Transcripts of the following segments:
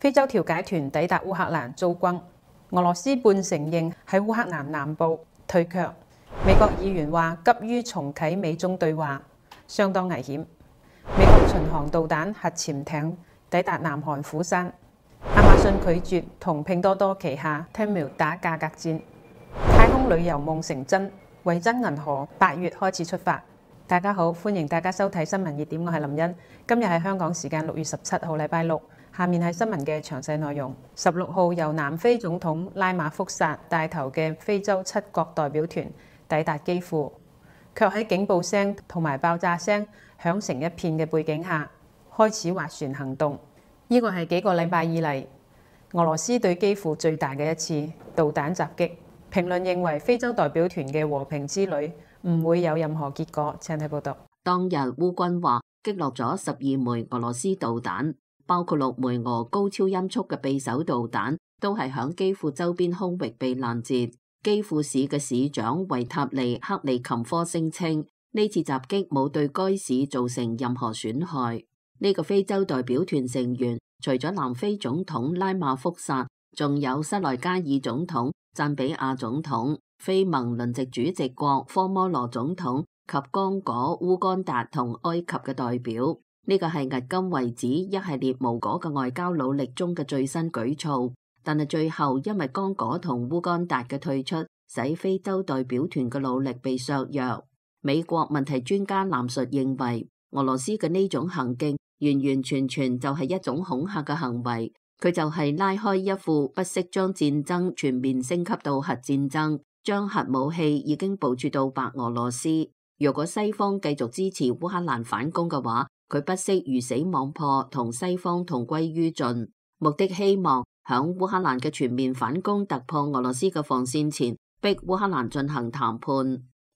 非洲調解團抵達烏克蘭遭轟，俄羅斯半承認喺烏克蘭南部退卻。美國議員話急於重啟美中對話，相當危險。美國巡航導彈核潛艇抵達南韓釜山。亞馬遜拒絕同拼多多旗下 Temu 打價格戰。太空旅遊夢成真，維珍銀河8月開始出發。大家好，歡迎大家收睇新聞熱點，我係林茵。今日係香港時間6月17號禮拜六。下面係新聞嘅詳細內容。16號由南非總統拉馬福薩帶頭嘅非洲7國代表團抵達基輔，卻喺警報聲同埋爆炸聲響成一片嘅背景下，開始斡旋行動。呢個係幾個禮拜以嚟俄羅斯對基輔最大嘅一次導彈襲擊。評論認為非洲代表團嘅和平之旅唔會有任何結果。請睇報道。當日烏軍話擊落咗12枚俄羅斯導彈，包括6枚俄高超音速嘅匕首導彈，都係響基輔周邊空域被攔截。基輔市嘅市長維塔利克利琴科聲稱，呢次襲擊冇對該市造成任何損害。呢個非洲代表團成員除咗南非總統拉馬福薩，仲有塞內加爾總統、贊比亞總統、非盟輪值主席國科摩羅總統及剛果、烏干達同埃及嘅代表。呢個係迄今為止一系列無果嘅外交努力中嘅最新舉措，但係最後因為剛果同烏干達嘅退出，使非洲代表團嘅努力被削弱。美國問題專家藍述認為，俄羅斯嘅呢種行徑完完全全就係一種恐嚇嘅行為，佢就係拉開一副不惜將戰爭全面升級到核戰爭，將核武器已經部署到白俄羅斯。如果西方繼續支持烏克蘭反攻嘅話，佢不惜魚死網破，同西方同歸於盡，目的希望響烏克蘭嘅全面反攻突破俄羅斯嘅防線前，逼烏克蘭進行談判。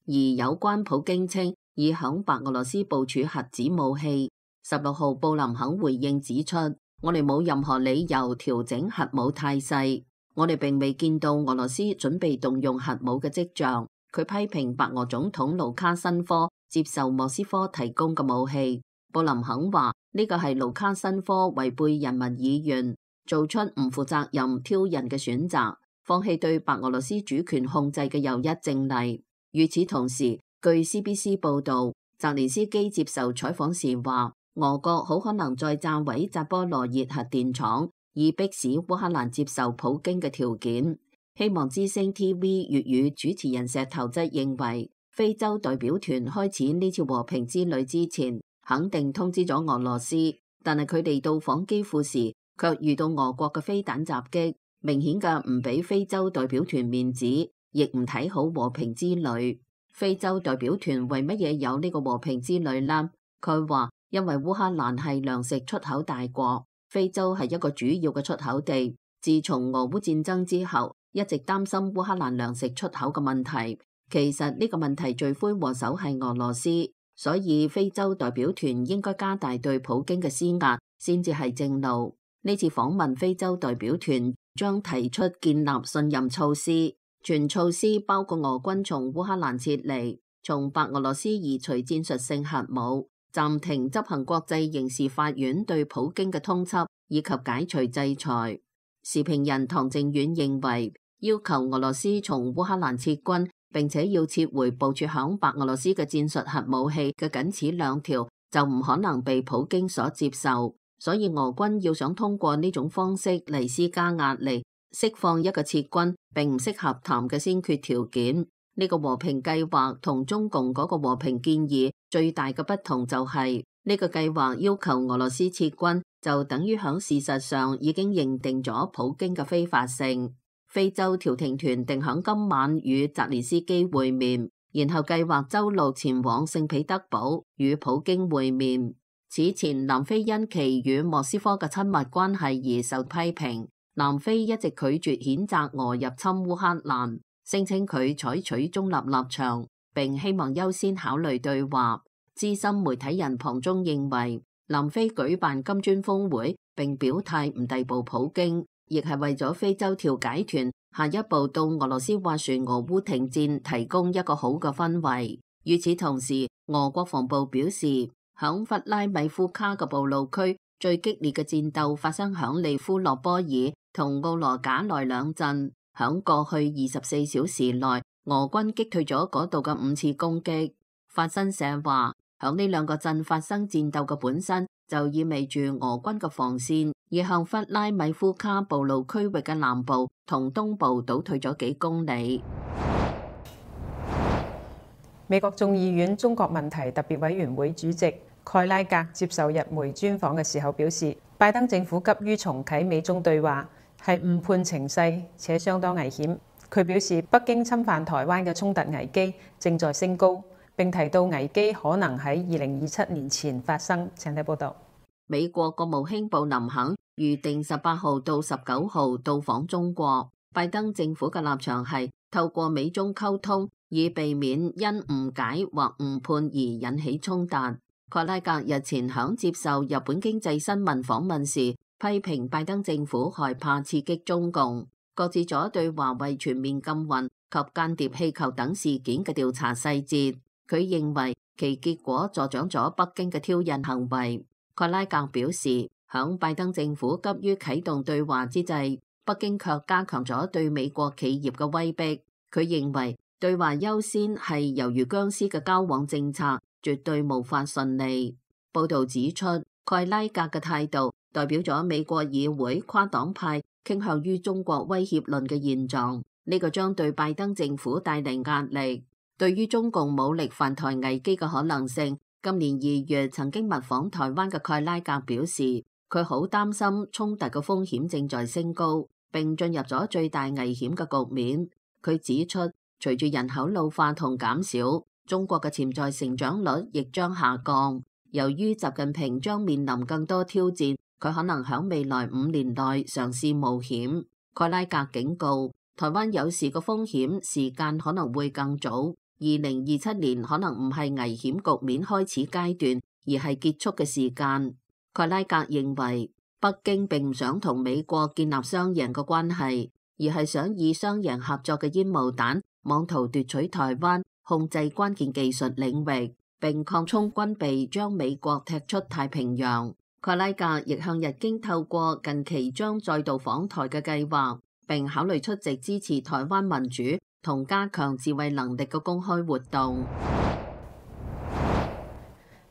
而有關普京稱已響白俄羅斯部署核子武器，16號布林肯回應指出，我哋冇任何理由調整核武態勢，我哋並未見到俄羅斯準備動用核武嘅跡象。佢批評白俄總統盧卡申科接受莫斯科提供嘅武器。布林肯話呢個係盧卡申科違背人民意願，做出唔負責任挑釁嘅選擇，放棄對白俄羅斯主權控制嘅又一證例。與此同時，據 CBC 報道，澤連斯基接受採訪時話，俄國好可能再炸毀扎波羅熱核電廠，以迫使烏克蘭接受普京嘅條件。希望之聲 TV 粵語主持人石頭則認為，非洲代表團開始呢次和平之旅之前，肯定通知咗俄羅斯，但係佢哋到訪基輔時，卻遇到俄國嘅飛彈襲擊，明顯嘅唔俾非洲代表團面子，亦唔睇好和平之旅。非洲代表團為乜嘢有呢個和平之旅呢？佢話因為烏克蘭係糧食出口大國，非洲係一個主要嘅出口地。自從俄烏戰爭之後，一直擔心烏克蘭糧食出口嘅問題。其實呢個問題罪魁禍首係俄羅斯。所以非洲代表團應該加大對普京嘅施壓，先至係正路。呢次訪問非洲代表團將提出建立信任措施，全措施包括俄軍從烏克蘭撤離，從白俄羅斯移除戰術性核武，暫停執行國際刑事法院對普京嘅通緝，以及解除制裁。時評人唐靖遠認為，要求俄羅斯從烏克蘭撤軍，並且要撤回部署響白俄羅斯嘅戰術核武器嘅僅此2條，就唔可能被普京所接受。所以俄軍要想通過呢種方式嚟施加壓力，釋放一個撤軍並唔適合談嘅先決條件。呢個和平計劃同中共嗰個和平建議最大嘅不同就係，呢個計劃要求俄羅斯撤軍，就等於響事實上已經認定咗普京嘅非法性。非洲調停團定響今晚與澤連斯基會面，然後計劃周六前往聖彼得堡與普京會面。此前，南非因其與莫斯科嘅親密關係而受批評。南非一直拒絕譴責俄入侵烏克蘭，聲稱佢採取中立立場，並希望優先考慮對話。資深媒體人龐中認為，南非舉辦金磚峰會並表態唔逮捕普京，亦係為咗非洲調解團下一步到俄羅斯斡旋俄烏停戰提供一個好嘅氛圍。與此同時，俄國防部表示，響弗拉米夫卡嘅暴露區最激烈嘅戰鬥發生響利夫諾波爾同奧羅賈內兩鎮。響過去24小時內，俄軍擊退咗嗰度嘅5次攻擊。法新社話，響呢兩個鎮發生戰鬥嘅本身就意味住俄軍嘅防線已向弗拉米夫卡暴露區域嘅南部同東部倒退咗幾公里。美國眾議院中國問題特別委員會主席蓋拉格接受日媒專訪嘅時候表示，拜登政府急於重啟美中對話係誤判情勢且相當危險。佢表示，北京侵犯台灣嘅衝突危機正在升高，並提到危機可能喺2027年前發生。請睇報道。美國國務卿布林肯預定18號到19號到訪中國。拜登政府嘅立場係透過美中溝通，以避免因誤解或誤判而引起衝突。蓋拉格日前響接受日本經濟新聞訪問時，批評拜登政府害怕刺激中共，擱置咗對華為全面禁運及間諜氣球等事件嘅調查細節。佢認為其結果助長咗北京嘅挑釁行為。蓋拉格表示，響拜登政府急於啟動對話之際，北京卻加強咗對美國企業嘅威逼。佢認為對話優先係猶如僵屍嘅交往政策，絕對無法順利。報道指出，蓋拉格嘅態度代表咗美國議會跨黨派傾向於中國威脅論嘅現狀，呢個將對拜登政府帶嚟壓力。對於中共武力犯台危機嘅可能性，今年2月曾經密訪台灣嘅蓋拉格表示，佢好擔心衝突嘅風險正在升高，並進入咗最大危險嘅局面。佢指出，隨住人口老化同減少，中國嘅潛在成長率亦將下降。由於習近平將面臨更多挑戰，佢可能喺未來5年內嘗試冒險。蓋拉格警告，台灣有事嘅風險時間可能會更早，2027年可能唔係危險局面開始階段，而係結束嘅時間。蓋拉格認為，北京並唔想同美國建立雙贏嘅關係，而係想以雙贏合作嘅煙霧彈，妄圖奪取台灣，控制關鍵技術領域，並擴充軍備，將美國踢出太平洋。蓋拉格亦向日經透過近期將再度訪台嘅計劃，並考慮出席支持台灣民主同加強自衛能力嘅公開活動。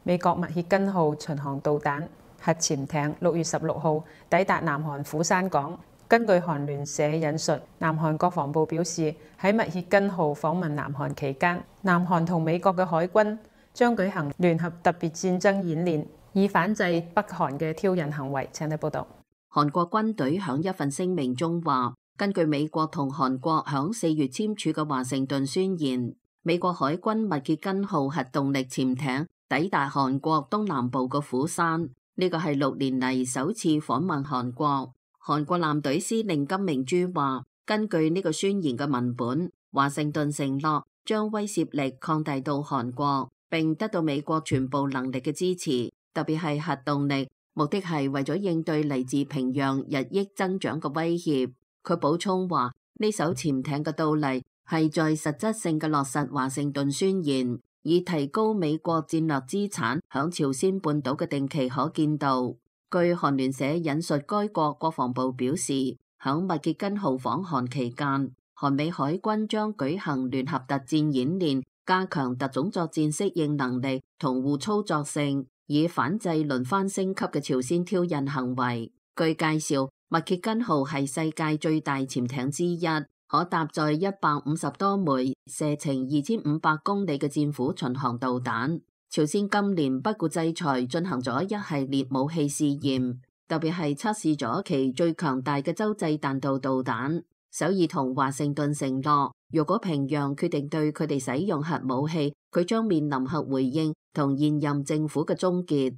美國密歇根號巡航導彈核潛艇6月16號抵達南韓釜山港。根據韓聯社引述，南韓國防部表示，喺密歇根號訪問南韓期間，南韓同美國嘅海軍將舉行聯合特別戰爭演練，以反制北韓嘅挑釁行為。請睇報道。韓國軍隊響一份聲明中話，根據美國同韓國響4月簽署嘅華盛頓宣言，美國海軍密歇根號核動力潛艇抵達韓國東南部嘅釜山，呢個係6年嚟首次訪問韓國。韓國艦隊司令金明洙話，根據呢個宣言嘅文本，華盛頓承諾將威懾力擴大到韓國，並得到美國全部能力嘅支持，特別係核動力，目的係為咗應對嚟自平壤日益增長嘅威脅。佢補充話，呢艘潛艇嘅到嚟係在實質性嘅落實華盛頓宣言，以提高美國戰略資產響朝鮮半島嘅定期可見度。據韓聯社引述該國國防部表示，響密歇根號訪韓期間，韓美海軍將舉行聯合特戰演練，加強特種作戰適應能力同互操作性，以反制輪番升級嘅朝鮮挑釁行為。據介紹，密歇根號係世界最大潛艇之一，可搭載150多枚射程2500公里嘅戰斧巡航導彈。朝鮮今年不顧制裁進行咗一系列武器試驗，特別係測試咗其最強大嘅洲際彈道導彈。首爾同華盛頓承諾，如果平壤決定對佢哋使用核武器，佢將面臨核回應同現任政府嘅終結。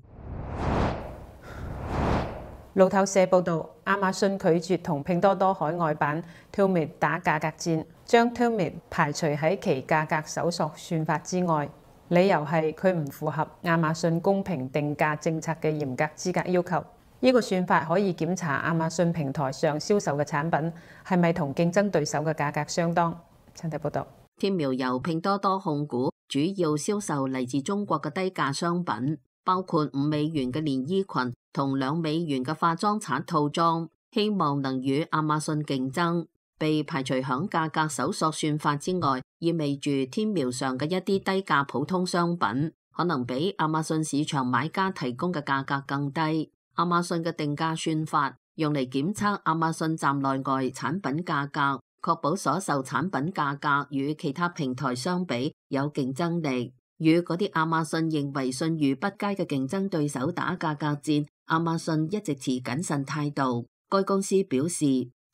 路透社報導，亞馬遜拒絕同拼多多海外版 Tmall 打價格戰，將 Tmall 排除喺其價格搜索算法之外。理由係佢唔符合亞馬遜公平定價政策嘅嚴格資格要求。呢個算法可以檢查亞馬遜平台上銷售嘅產品係咪同競爭對手嘅價格相當。請睇報道。Tmall由拼多多控股，主要銷售嚟自中國嘅低價商品，包括$5嘅連衣裙同$2嘅化妝刷套裝，希望能與亞馬遜競爭。被排除響價格搜索算法之外，意味住天苗上嘅一啲低價普通商品可能比亞馬遜市場買家提供嘅價格更低。亞馬遜嘅定價算法用嚟檢測亞馬遜站內外產品價格，確保所售產品價格與其他平台相比有競爭力。與嗰啲亞馬遜認為信譽不佳嘅競爭對手打價格戰，亞馬遜一直持謹慎態度。該公司表示，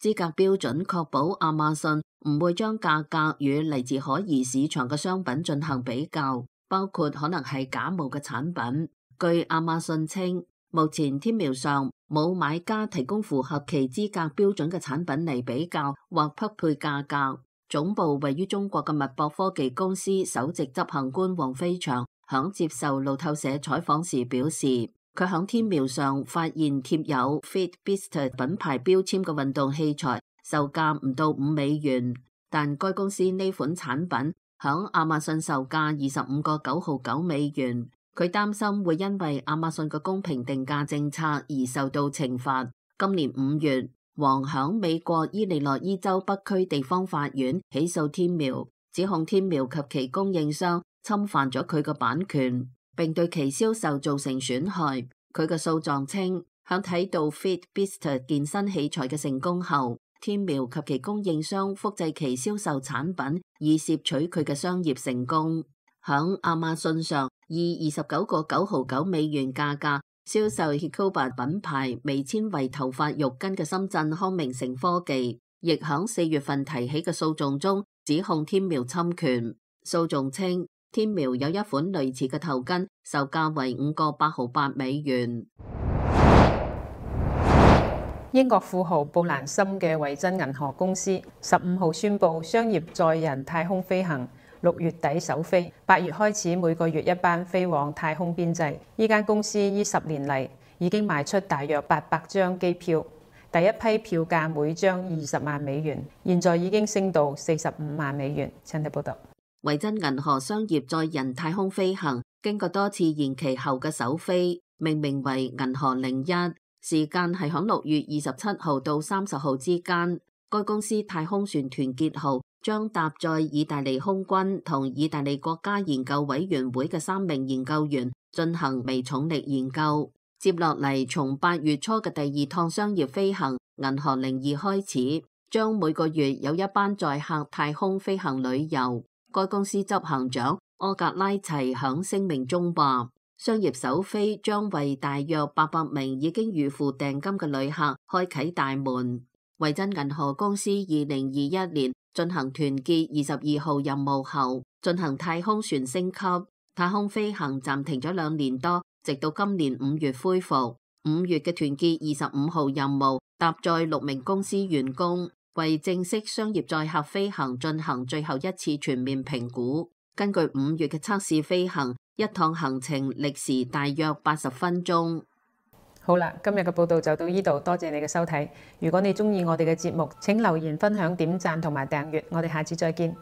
資格標準確保亞馬遜唔會將價格與嚟自可疑市場嘅商品進行比較，包括可能係假冒嘅產品。據亞馬遜稱，目前天苗上冇買家提供符合其資格標準嘅產品嚟比較或匹配價格。總部位於中國嘅脈搏科技公司首席執行官黃飛翔響接受路透社採訪時表示，佢響天苗上發現貼有 Fitbit 品牌標籤嘅運動器材售價唔到$5，但該公司呢款產品響亞馬遜售價$25.999。佢擔心會因為亞馬遜嘅公平定價政策而受到懲罰。今年5月，黃響美國伊利諾伊州北區地方法院起訴天苗，指控天苗及其供應商侵犯咗佢嘅版權，並對其銷售造成損害。佢嘅訴狀稱，響睇到 Fitbit 健身器材嘅成功後，天苗及其供應商複製其銷售產品，以攝取佢嘅商業成功。響亞馬遜上以$29.999價格銷售 Hicoba 品牌微纖維頭髮浴巾嘅深圳康明城科技，亦響4月份提起嘅訴訟中指控天苗侵權。訴訟稱，天苗有一款類似嘅頭巾，售價為$5.808。英國富豪布蘭森嘅維珍銀河公司15號宣布商業載人太空飛行6月底首飛，8月開始每個月一班飛往太空邊際。呢間公司呢10年嚟已經賣出大約800張機票，第一批票價每張$20萬，現在已經升到$45萬。請睇報道。維珍銀河商業載人太空飛行經過多次延期後嘅首飛，命名為銀河01，時間係響6月27號到30號之間。該公司太空船團結號將搭載意大利空軍同意大利國家研究委員會嘅3名研究員進行微重力研究。接落嚟，從8月初嘅第2趟商業飛行銀河02開始，將每個月有一班載客太空飛行旅遊。該公司執行長柯格拉齊響聲明中話，商業首飛將為大約800名已經預付訂金嘅旅客開啟大門。維珍銀河公司2021年進行團結22號任務後，進行太空船升級，太空飛行暫停咗2年多，直到今年5月恢復。5月嘅團結25號任務搭載6名公司員工，為正式商業載客飛行進行最後一次全面評估。根據5月嘅測試飛行，一趟行程歷時大約80分鐘。好啦，今日嘅報道就到呢度，多謝你嘅收睇。如果你鍾意我哋嘅節目，請留言分享、點讚同埋訂閱。我哋下次再見。